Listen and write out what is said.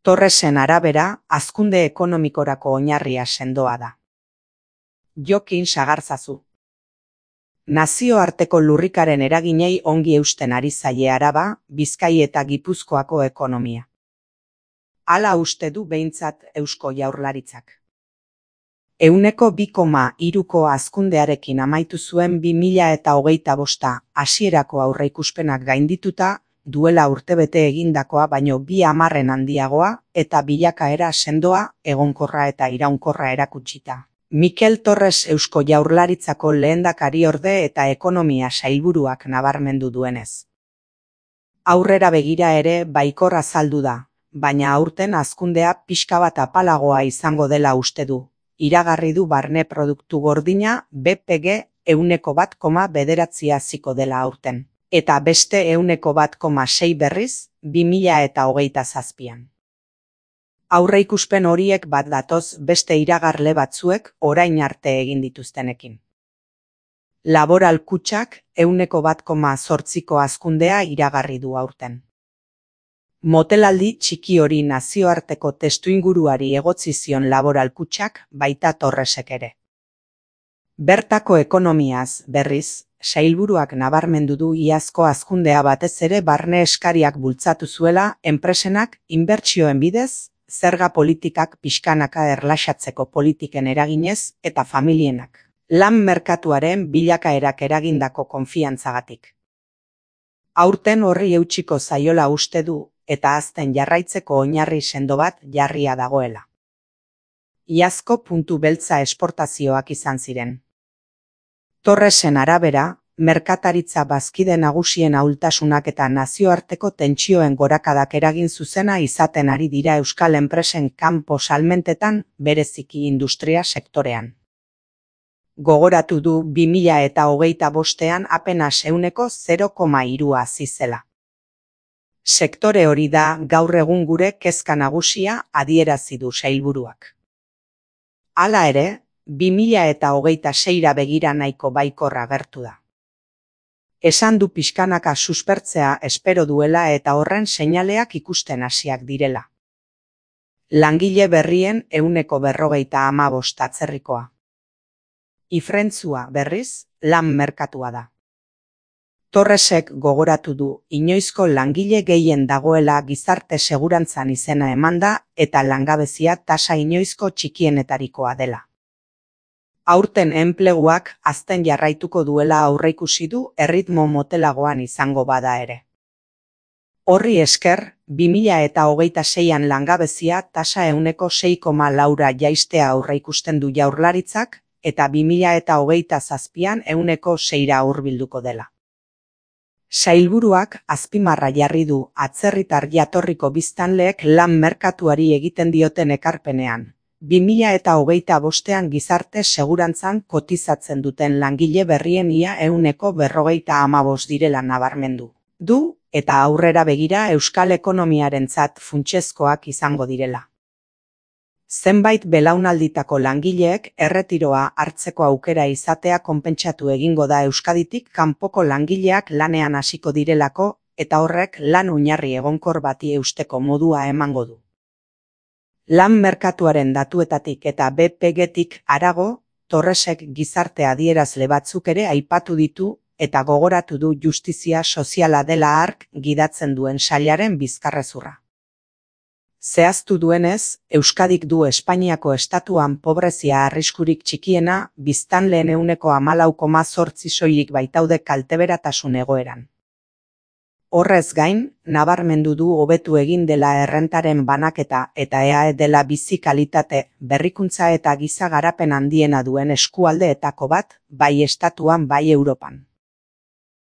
Torresen arabera, hazkunde ekonomikorako oinarria sendoa da. Jokin sagarzazu. Nazioarteko lurrikaren eraginei ongi eusten ari zaie Araba, Bizkai eta Gipuzkoako ekonomia. Hala uste du behintzat Eusko Jaurlaritzak. 2,3ko hazkundearekin amaitu zuen 2025 hasierako aurreikuspenak gaindituta, duela urtebete egindakoa baino 2 hamarren handiagoa eta bilakaera sendoa, egonkorra eta iraunkorra erakutsita. Mikel Torres Eusko Jaurlaritzako lehendakariorde eta ekonomia sailburuak nabarmendu duenez. Aurrera begira ere baikor azaldu da, baina aurten hazkundea pixka bat apalagoa izango dela uste du. Iragarri du barne produktu gordina BPG 1,9 haziko dela aurten, eta beste 1,6 berriz 2027an. Aurreikuspen horiek bat datoz beste iragarle batzuek orain arte egin dituztenekin. Laboral kutxak 1,8ko hazkundea iragarri du aurten. Motelaldi txiki hori nazioarteko testuinguruari egotzi zion Laboral kutxak baita Torresek ere. Bertako ekonomiaz, berriz, sailburuak nabarmendu du iazko hazkundea batez ere barne eskariak bultzatu zuela enpresenak inbertsioen bidez, zerga politikak pixkanaka erlaxatzeko politiken eraginez eta familienak. Lan merkatuaren bilakaerak eragindako konfiantzagatik. Aurten horri eutsiko zaiola uste du, eta hazten jarraitzeko oinarri sendo bat jarria dagoela. Iazko puntu beltza esportazioak izan ziren. Torresen arabera, merkataritza bazkide nagusien ahultasunak eta nazioarteko tentsioen gorakadak eragin zuzena izaten ari dira euskal enpresen kanpo salmentetan, bereziki industria sektorean. Gogoratu du 2025an apenas 0,3 hazi zela. Sektore hori da gaur egun gure kezka nagusia adierazi du sailburuak. Hala ere, 2026ra begira nahiko baikor agertu da. Esan du pixkanaka suspertzea espero duela eta horren seinaleak ikusten hasiak direla. Langile berrien 145 atzerrikoa. Ifrentzua berriz, lan merkatua da. Torresek gogoratu du inoizko langile gehien dagoela gizarte segurantzan izena emanda eta langabezia tasa inoizko txikienetarikoa dela. Aurten enpleguak hazten jarraituko duela aurreikusi du erritmo motelagoan izango bada ere. Horri esker, 2026an langabezia tasa 6,4ra jaistea aurreikusten du Jaurlaritzak eta 2027an 6ra hurbilduko dela. Sailburuak azpimarra jarri du atzerritar jatorriko biztanleek lan merkatuari egiten dioten ekarpenean. 2025an gizarte segurantzan kotizatzen duten langile berrien ia 155 direla nabarmendu du, eta aurrera begira euskal ekonomiarentzat funtsezkoak izango direla. Zenbait belaunalditako langileek erretiroa hartzeko aukera izatea konpentsatu egingo da Euskaditik kanpoko langileak lanean hasiko direlako, eta horrek lan oinarri egonkor bati eusteko modua emango du. Lan merkatuaren datuetatik eta BPG-tik harago, Torresek gizarte adierazle batzuk ere aipatu ditu eta gogoratu du justizia soziala dela hark gidatzen duen sailaren bizkarrezurra. Zehaztu duenez, Euskadik du Espainiako estatuan pobrezia arriskurik txikiena, biztanleen 14,8 soilik baitaude kalteberatasun egoeran. Horrez gain, nabarmendu du hobetu egin dela errentaren banaketa eta EAE dela bizi kalitate, berrikuntza eta giza garapen handiena duen eskualdeetako bat, bai estatuan bai Europan.